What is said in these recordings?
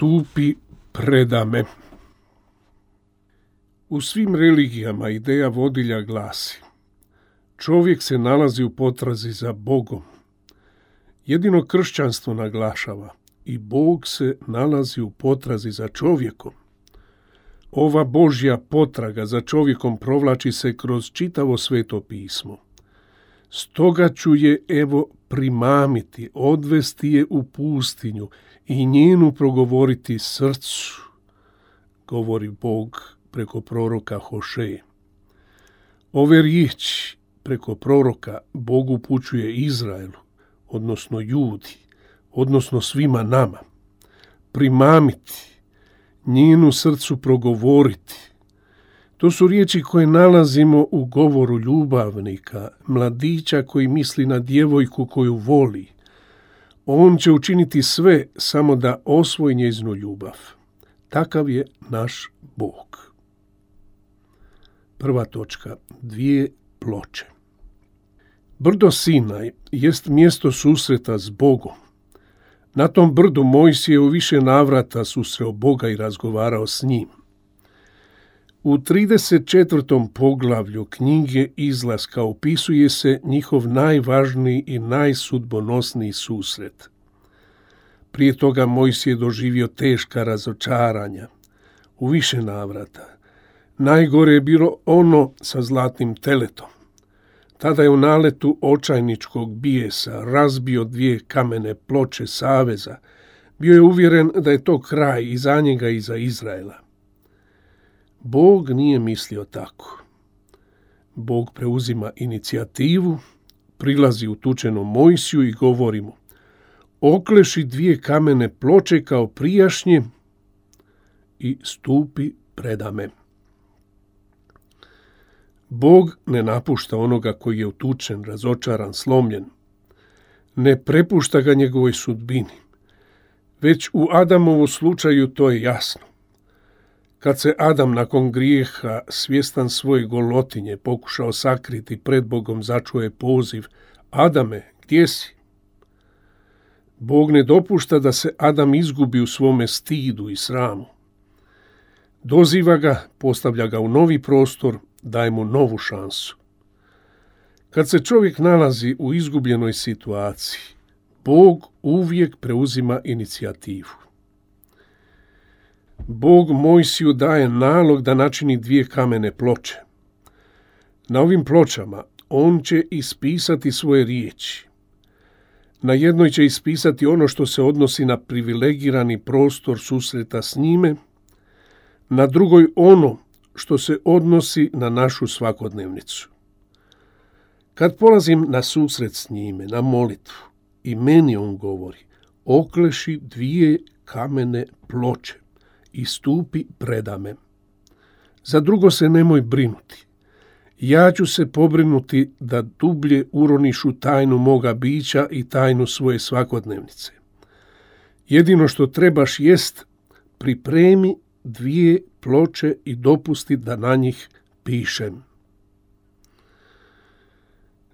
Stupi predame. U svim religijama ideja vodilja glasi: čovjek se nalazi u potrazi za Bogom. Jedino kršćanstvo naglašava: i Bog se nalazi u potrazi za čovjekom. Ova Božja potraga za čovjekom provlači se kroz čitavo Sveto pismo. Stoga ću je primamiti, odvesti je u pustinju i njenu progovoriti srcu, govori Bog preko proroka Hošeje. Ove riječi preko proroka Bog upućuje Izraelu, odnosno Judi, odnosno svima nama. Primamiti, njenu srcu progovoriti. To su riječi koje nalazimo u govoru ljubavnika, mladića koji misli na djevojku koju voli. On će učiniti sve samo da osvoji njezinu ljubav. Takav je naš Bog. Prva točka, 2 ploče. Brdo Sinaj jest mjesto susreta s Bogom. Na tom brdu Mojsije u više navrata susreo Boga i razgovarao s njim. U 34. poglavlju knjige Izlaska opisuje se njihov najvažniji i najsudbonosniji susret. Prije toga Mojsije doživio teška razočaranja u više navrata. Najgore je bilo ono sa zlatnim teletom. Tada je u naletu očajničkog bijesa razbio 2 kamene ploče saveza. Bio je uvjeren da je to kraj i za njega i za Izraela. Bog nije mislio tako. Bog preuzima inicijativu, prilazi utučenom Mojsiju i govori mu: okleši 2 kamene ploče kao prijašnje i stupi predame. Bog ne napušta onoga koji je utučen, razočaran, slomljen. Ne prepušta ga njegovoj sudbini. Već u Adamovu slučaju to je jasno. Kad se Adam nakon grijeha, svjestan svoje golotinje, pokušao sakriti pred Bogom, začuo je poziv: Adame, gdje si? Bog ne dopušta da se Adam izgubi u svome stidu i sramu. Doziva ga, postavlja ga u novi prostor, daje mu novu šansu. Kad se čovjek nalazi u izgubljenoj situaciji, Bog uvijek preuzima inicijativu. Bog Mojsiju daje nalog da načini 2 kamene ploče. Na ovim pločama on će ispisati svoje riječi. Na jednoj će ispisati ono što se odnosi na privilegirani prostor susreta s njime, na drugoj ono što se odnosi na našu svakodnevnicu. Kad polazim na susret s njime, na molitvu, i meni on govori: okleši 2 kamene ploče i stupi predame. Za drugo se nemoj brinuti. Ja ću se pobrinuti da dublje uroniš u tajnu moga bića i tajnu svoje svakodnevnice. Jedino što trebaš jest pripremi 2 ploče i dopusti da na njih pišem.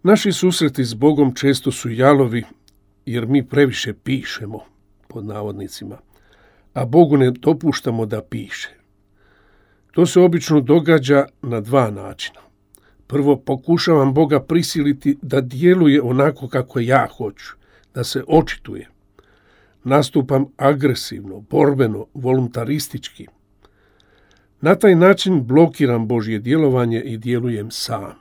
Naši susreti s Bogom često su jalovi jer mi previše pišemo, pod navodnicima, a Bogu ne dopuštamo da piše. To se obično događa na 2 načina. Prvo, pokušavam Boga prisiliti da djeluje onako kako ja hoću, da se očituje. Nastupam agresivno, borbeno, voluntaristički. Na taj način blokiram Božje djelovanje i djelujem sam.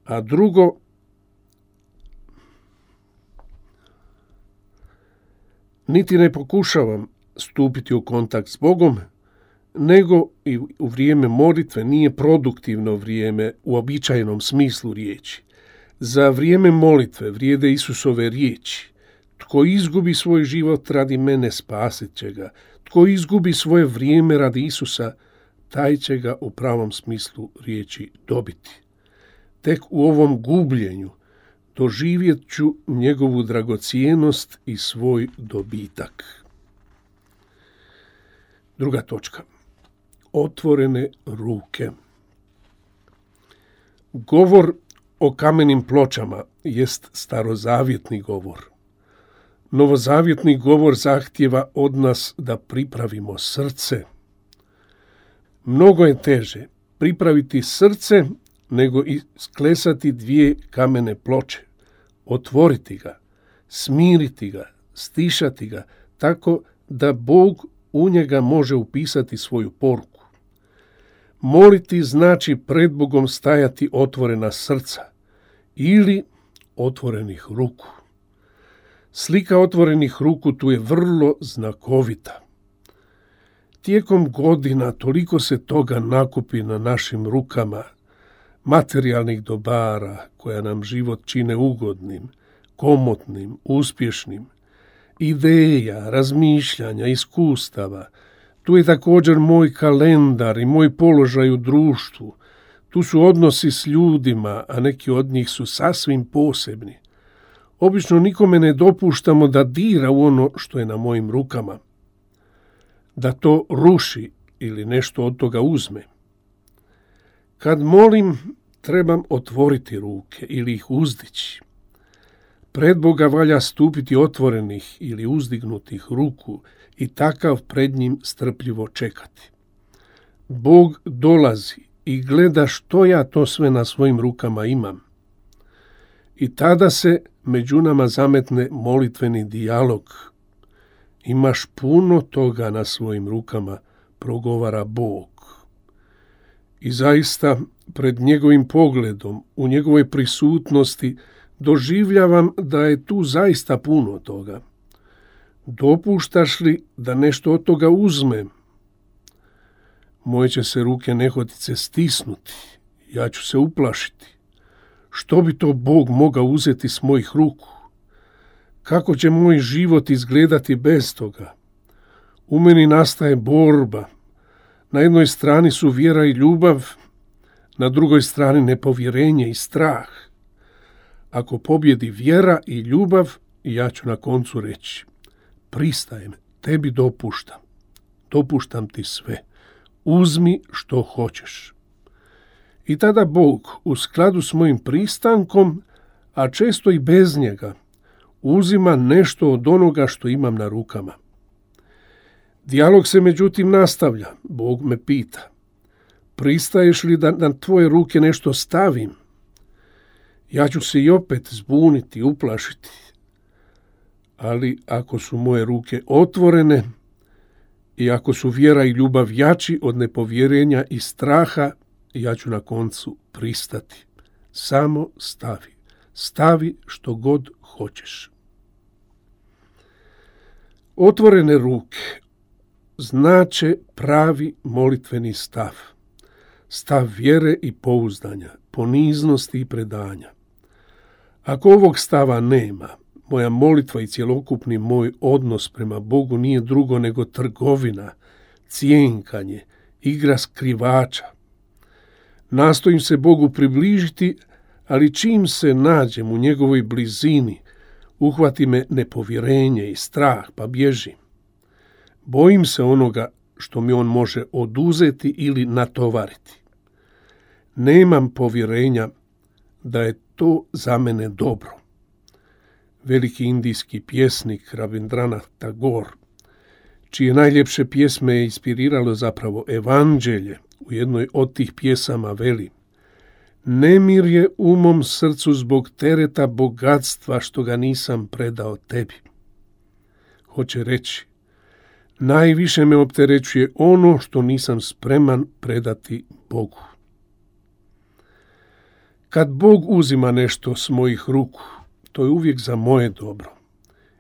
A drugo, niti ne pokušavam stupiti u kontakt s Bogom, nego i u vrijeme molitve nije produktivno vrijeme u uobičajenom smislu riječi. Za vrijeme molitve vrijede Isusove riječi: tko izgubi svoj život radi mene, spasit će ga. Tko izgubi svoje vrijeme radi Isusa, taj će ga u pravom smislu riječi dobiti. Tek u ovom gubljenju doživjet ću njegovu dragocjenost i svoj dobitak. Druga točka. Otvorene ruke. Govor o kamenim pločama jest starozavjetni govor. Novozavjetni govor zahtijeva od nas da pripravimo srce. Mnogo je teže pripraviti srce nego isklesati 2 kamene ploče, otvoriti ga, smiriti ga, stišati ga, tako da Bog u njega može upisati svoju poruku. Moliti znači pred Bogom stajati otvorena srca ili otvorenih ruku. Slika otvorenih ruku tu je vrlo znakovita. Tijekom godina toliko se toga nakupi na našim rukama, materijalnih dobara koja nam život čine ugodnim, komotnim, uspješnim, ideja, razmišljanja, iskustava. Tu je također moj kalendar i moj položaj u društvu. Tu su odnosi s ljudima, a neki od njih su sasvim posebni. Obično nikome ne dopuštamo da dira u ono što je na mojim rukama, da to ruši ili nešto od toga uzme. Kad molim, trebam otvoriti ruke ili ih uzdići. Pred Boga valja stupiti otvorenih ili uzdignutih ruku i takav pred njim strpljivo čekati. Bog dolazi i gleda što ja to sve na svojim rukama imam. I tada se među nama zametne molitveni dijalog. Imaš puno toga na svojim rukama, progovara Bog. I zaista, pred njegovim pogledom, u njegovoj prisutnosti, doživljavam da je tu zaista puno toga. Dopuštaš li da nešto od toga uzmem? Moje će se ruke nehotice stisnuti, ja ću se uplašiti. Što bi to Bog mogao uzeti s mojih ruku? Kako će moj život izgledati bez toga? U meni nastaje borba. Na jednoj strani su vjera i ljubav, na drugoj strani nepovjerenje i strah. Ako pobjedi vjera i ljubav, ja ću na koncu reći: pristajem, tebi dopuštam ti sve, uzmi što hoćeš. I tada Bog, u skladu s mojim pristankom, a često i bez njega, uzima nešto od onoga što imam na rukama. Dijalog se međutim nastavlja. Bog me pita: pristaješ li da na tvoje ruke nešto stavim? Ja ću se i opet zbuniti, uplašiti. Ali ako su moje ruke otvorene i ako su vjera i ljubav jači od nepovjerenja i straha, ja ću na koncu pristati. Samo stavi što god hoćeš. Otvorene ruke znače pravi molitveni stav vjere i pouzdanja, poniznosti i predanja. Ako ovog stava nema, moja molitva i cjelokupni moj odnos prema Bogu nije drugo nego trgovina, cjenkanje, igra skrivača. Nastojim se Bogu približiti, ali čim se nađem u njegovoj blizini, uhvati me nepovjerenje i strah, pa bježim. Bojim se onoga što mi on može oduzeti ili natovariti. Nemam povjerenja da je to za mene dobro. Veliki indijski pjesnik Rabindranath Tagore, čije najljepše pjesme je inspiriralo zapravo evanđelje, u jednoj od tih pjesama veli: nemir je u mom srcu zbog tereta bogatstva što ga nisam predao tebi. Hoće reći, najviše me opterećuje ono što nisam spreman predati Bogu. Kad Bog uzima nešto s mojih ruku, to je uvijek za moje dobro.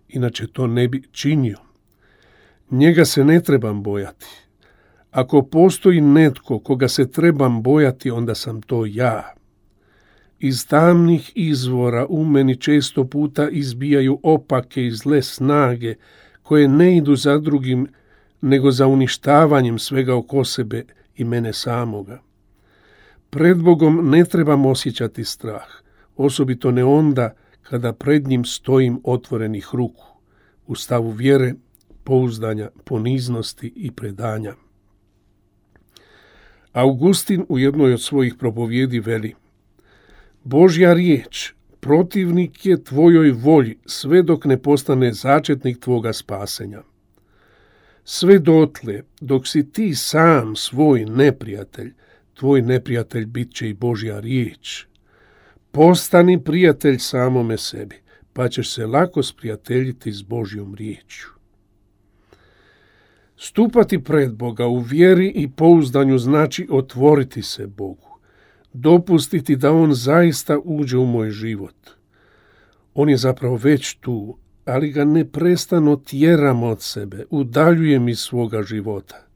Inače to ne bi činio. Njega se ne trebam bojati. Ako postoji netko koga se trebam bojati, onda sam to ja. Iz tamnih izvora u meni često puta izbijaju opake i zle snage koje ne idu za drugim, nego za uništavanjem svega oko sebe i mene samoga. Pred Bogom ne trebam osjećati strah, osobito ne onda kada pred njim stojim otvorenih ruku, u stavu vjere, pouzdanja, poniznosti i predanja. Augustin u jednoj od svojih propovjedi veli: Božja riječ protivnik je tvojoj volji sve dok ne postane začetnik tvoga spasenja. Sve dotle dok si ti sam svoj neprijatelj, tvoj neprijatelj bit će i Božja riječ. Postani prijatelj samome sebi, pa ćeš se lako sprijateljiti s Božjom riječju. Stupati pred Boga u vjeri i pouzdanju znači otvoriti se Bogu, dopustiti da On zaista uđe u moj život. On je zapravo već tu, ali ga neprestano tjeram od sebe, udaljujem iz svoga života.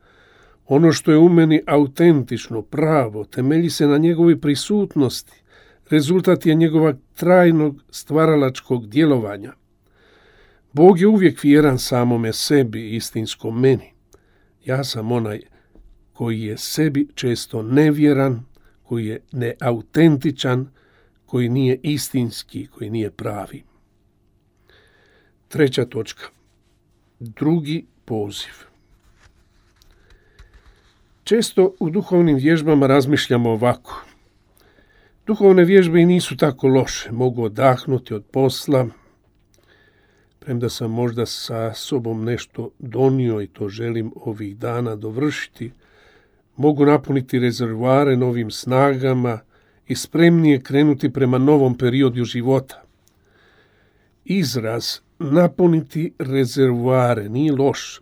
Ono što je u meni autentično, pravo, temelji se na njegovoj prisutnosti, rezultat je njegova trajnog stvaralačkog djelovanja. Bog je uvijek vjeran samome sebi, istinskom meni. Ja sam onaj koji je sebi često nevjeran, koji je neautentičan, koji nije istinski, koji nije pravi. 3. točka. Drugi poziv. Često u duhovnim vježbama razmišljamo ovako. Duhovne vježbe i nisu tako loše, mogu odahnuti od posla, premda sam možda sa sobom nešto donio i to želim ovih dana dovršiti, mogu napuniti rezervoare novim snagama i spremnije krenuti prema novom periodu života. Izraz napuniti rezervoare nije loš,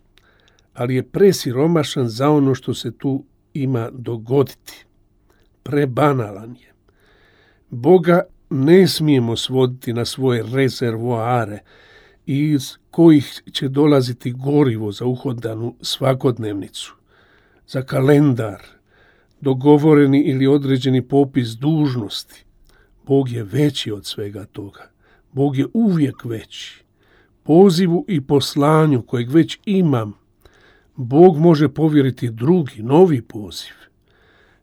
ali je presiromašan za ono što se tu ima dogoditi. Prebanalan je. Boga ne smijemo svoditi na svoje rezervoare iz kojih će dolaziti gorivo za uhodanu svakodnevnicu, za kalendar, dogovoreni ili određeni popis dužnosti. Bog je veći od svega toga. Bog je uvijek veći. Pozivu i poslanju kojeg već imam, Bog može povjeriti drugi, novi poziv.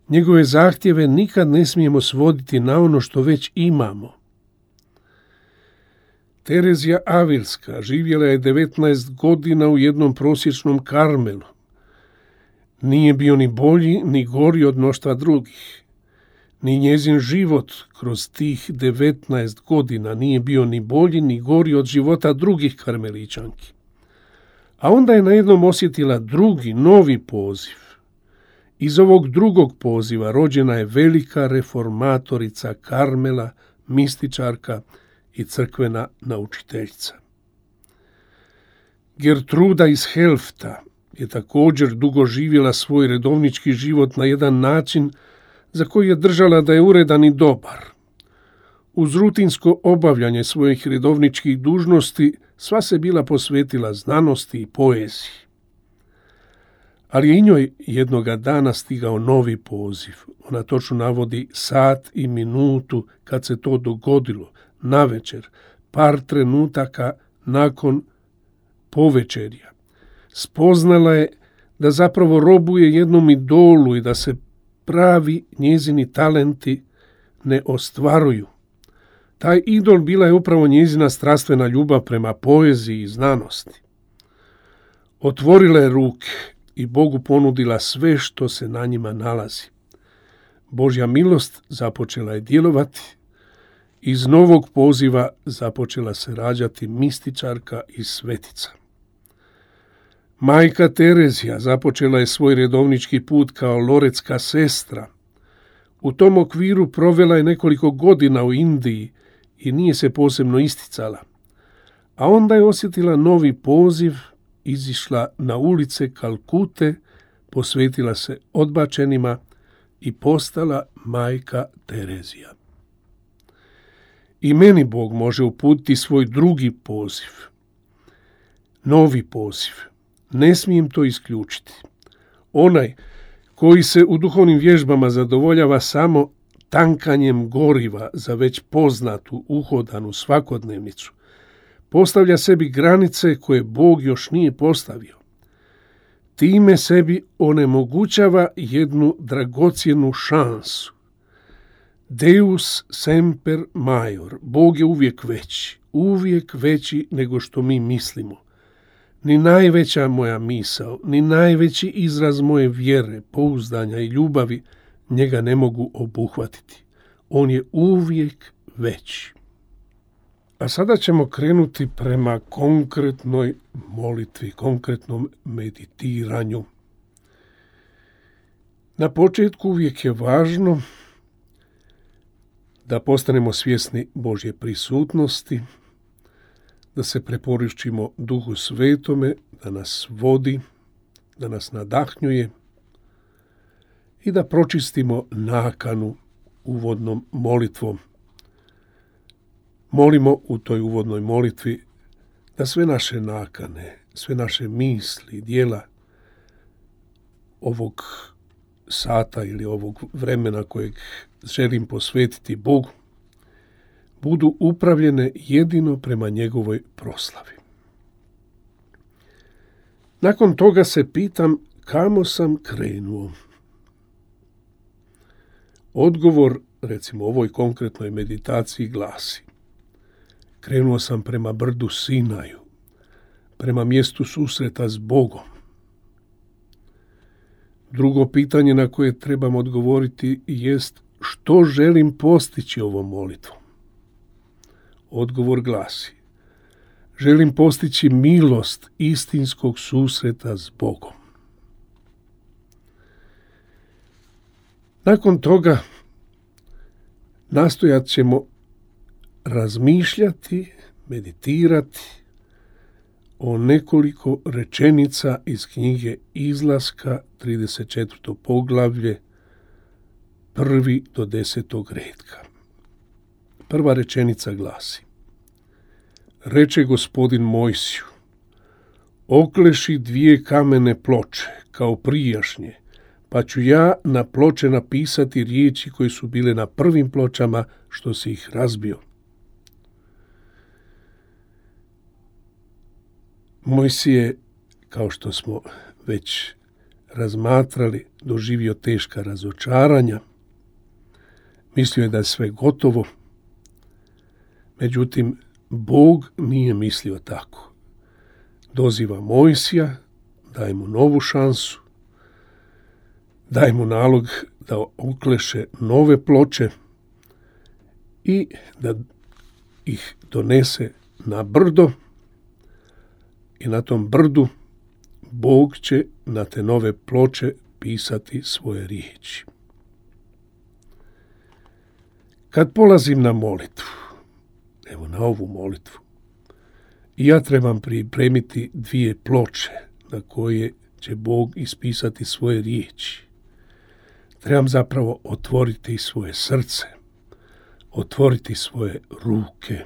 Njegove zahtjeve nikad ne smijemo svoditi na ono što već imamo. Terezija Avilska živjela je 19 godina u jednom prosječnom Karmelu. Nije bio ni bolji ni gori od mnoštva drugih. Ni njezin život kroz tih 19 godina nije bio ni bolji ni gori od života drugih karmeličanki. A onda je najednom osjetila drugi, novi poziv. Iz ovog drugog poziva rođena je velika reformatorica Karmela, mističarka i crkvena naučiteljica. Gertruda iz Helfta je također dugo živjela svoj redovnički život na jedan način za koji je držala da je uredan i dobar. Uz rutinsko obavljanje svojih redovničkih dužnosti sva se bila posvetila znanosti i poeziji. Ali je i njoj jednoga dana stigao novi poziv. Ona točno navodi sat i minutu kad se to dogodilo, navečer, par trenutaka nakon povečerja. Spoznala je da zapravo robuje jednom idolu i da se pravi njezini talenti ne ostvaruju. Taj idol bila je upravo njezina strastvena ljubav prema poeziji i znanosti. Otvorila je ruke i Bogu ponudila sve što se na njima nalazi. Božja milost započela je djelovati. Iz novog poziva započela se rađati mističarka i svetica. Majka Terezija započela je svoj redovnički put kao loretska sestra. U tom okviru provela je nekoliko godina u Indiji i nije se posebno isticala. A onda je osjetila novi poziv, izišla na ulice Kalkute, posvetila se odbačenima i postala majka Terezija. I meni Bog može uputiti svoj drugi poziv, novi poziv. Ne smijem to isključiti. Onaj koji se u duhovnim vježbama zadovoljava samo tankanjem goriva za već poznatu, uhodanu svakodnevnicu, postavlja sebi granice koje Bog još nije postavio. Time sebi onemogućava jednu dragocjenu šansu. Deus semper maior, Bog je uvijek veći nego što mi mislimo. Ni najveća moja misao, ni najveći izraz moje vjere, pouzdanja i ljubavi njega ne mogu obuhvatiti. On je uvijek veći. A sada ćemo krenuti prema konkretnoj molitvi, konkretnom meditiranju. Na početku uvijek je važno da postanemo svjesni Božje prisutnosti, da se preporišćimo Duhu Svetome, da nas vodi, da nas nadahnjuje i da pročistimo nakanu uvodnom molitvom. Molimo u toj uvodnoj molitvi da sve naše nakane, sve naše misli, djela ovog sata ili ovog vremena kojeg želim posvetiti Bogu, budu upravljene jedino prema njegovoj proslavi. Nakon toga se pitam kamo sam krenuo. Odgovor, recimo ovoj konkretnoj meditaciji, glasi: krenuo sam prema brdu Sinaju, prema mjestu susreta s Bogom. Drugo pitanje na koje trebam odgovoriti jest što želim postići ovom molitvom. Odgovor glasi: želim postići milost istinskog susreta s Bogom. Nakon toga nastojat ćemo razmišljati, meditirati o nekoliko rečenica iz knjige Izlaska, 34. poglavlje, 1. do 10. redka. Prva rečenica glasi: reče Gospodin Mojsiju, okleši 2 kamene ploče kao prijašnje, pa ću ja na ploče napisati riječi koje su bile na prvim pločama što si ih razbio. Mojsije, kao što smo već razmatrali, doživio teška razočaranja. Mislio je da je sve gotovo. Međutim, Bog nije mislio tako. Doziva Mojsija, daje mu novu šansu, daje mu nalog da okleše nove ploče i da ih donese na brdo, i na tom brdu Bog će na te nove ploče pisati svoje riječi. Kad polazim na molitvu, evo na ovu molitvu, ja trebam pripremiti 2 ploče na koje će Bog ispisati svoje riječi. Trebam zapravo otvoriti svoje srce, otvoriti svoje ruke,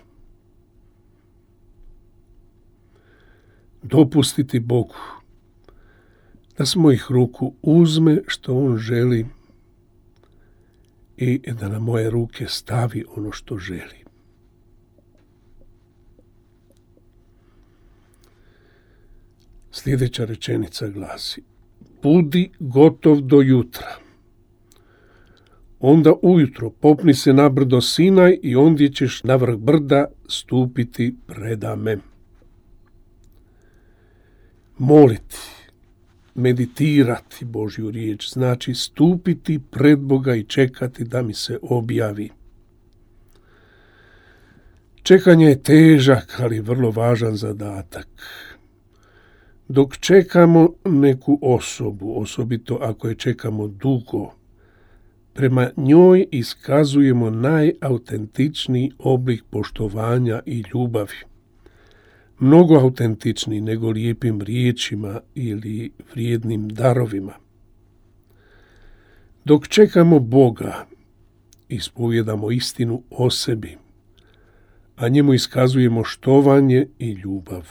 dopustiti Bogu da s mojih ruku uzme što On želi i da na moje ruke stavi ono što želi. Sljedeća rečenica glasi: budi gotov do jutra. Onda ujutro popni se na brdo Sinaj i ondje ćeš na vrh brda stupiti predame. Moliti, meditirati Božju riječ znači stupiti pred Boga i čekati da mi se objavi. Čekanje je težak, ali vrlo važan zadatak. Dok čekamo neku osobu, osobito ako je čekamo dugo, prema njoj iskazujemo najautentičniji oblik poštovanja i ljubavi. Mnogo autentičniji nego lijepim riječima ili vrijednim darovima. Dok čekamo Boga, ispovjedamo istinu o sebi, a njemu iskazujemo štovanje i ljubav.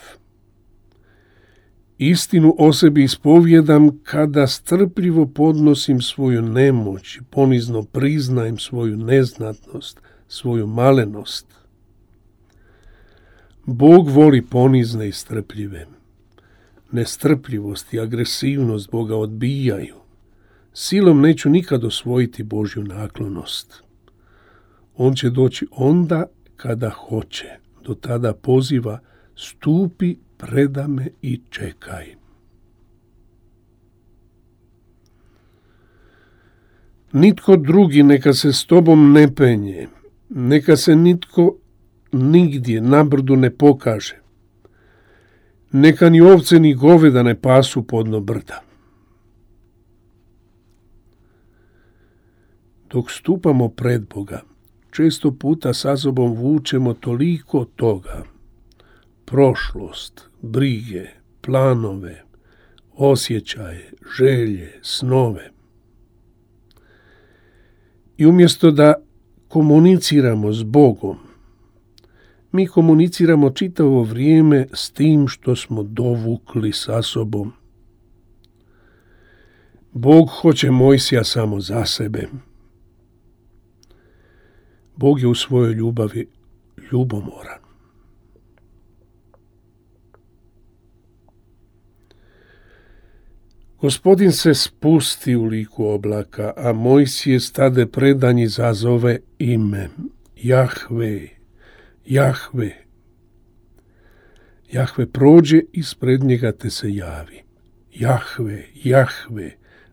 Istinu o sebi ispovjedam kada strpljivo podnosim svoju nemoć i ponizno priznajem svoju neznatnost, svoju malenost. Bog voli ponizne i strpljive. Nestrpljivost i agresivnost Boga odbijaju. Silom neću nikad osvojiti Božju naklonost. On će doći onda kada hoće. Do tada poziva: stupi predame i čekaj. Nitko drugi neka se s tobom ne penje, neka se nitko nigdje na brdu ne pokaže, neka ni ovce ni goveda ne pasu podno brda. Dok stupamo pred Boga, često puta sa sobom vučemo toliko toga. prošlost, brige, planove, osjećaje, želje, snove. I umjesto da komuniciramo s Bogom, mi komuniciramo čitavo vrijeme s tim što smo dovukli sa sobom. Bog hoće Mojsija samo za sebe. Bog je u svojoj ljubavi ljubomoran. Gospodin se spusti u liku oblaka, a Mojsije stade predanji zazove ime Jahve, Jahve. Jahve prođe ispred njega te se javi. Jahve, Jahve,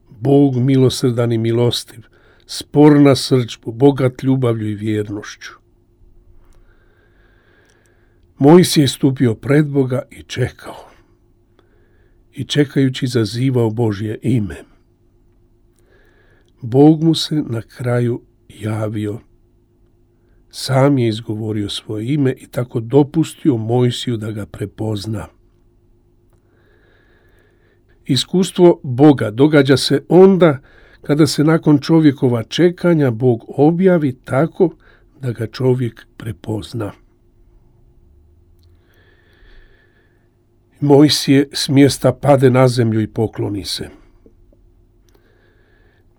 Bog milosrdan i milostiv, spor na srdžbu, bogat ljubavlju i vjernošću. Mojsije je stupio pred Boga i čekao. I čekajući zazivao Božje ime. Bog mu se na kraju javio. Sam je izgovorio svoje ime i tako dopustio Mojsiju da ga prepozna. Iskustvo Boga događa se onda kada se nakon čovjekova čekanja Bog objavi tako da ga čovjek prepozna. Mojsije s mjesta pade na zemlju i pokloni se.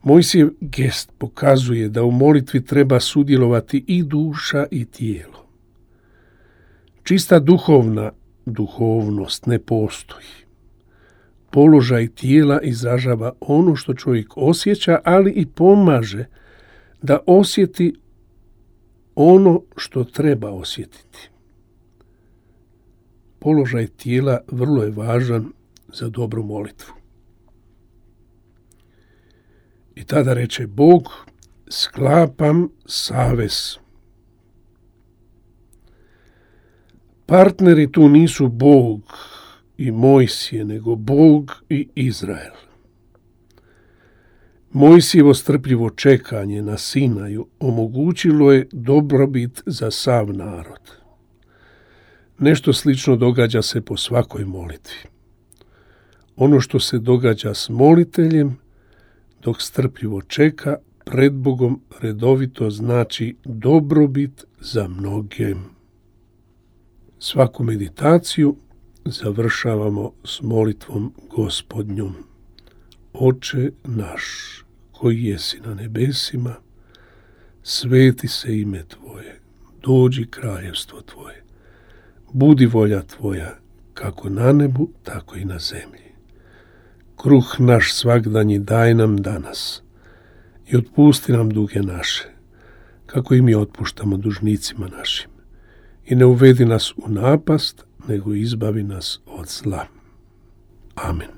Mojsijev gest pokazuje da u molitvi treba sudjelovati i duša i tijelo. Čista duhovnost ne postoji. Položaj tijela izražava ono što čovjek osjeća, ali i pomaže da osjeti ono što treba osjetiti. Položaj tijela vrlo je važan za dobru molitvu. I tada reče Bog, sklapam savez. Partneri tu nisu Bog i Mojsije, nego Bog i Izrael. Mojsijevo strpljivo čekanje na Sinaju omogućilo je dobrobit za sav narod. Nešto slično događa se po svakoj molitvi. Ono što se događa s moliteljem, dok strpljivo čeka, pred Bogom redovito znači dobrobit za mnoge. Svaku meditaciju završavamo s molitvom Gospodnjom. Oče naš, koji jesi na nebesima, sveti se ime Tvoje, dođi kraljevstvo Tvoje. Budi volja Tvoja, kako na nebu, tako i na zemlji. Kruh naš svagdanji daj nam danas i otpusti nam duge naše, kako i mi otpuštamo dužnicima našim. I ne uvedi nas u napast, nego izbavi nas od zla. Amen.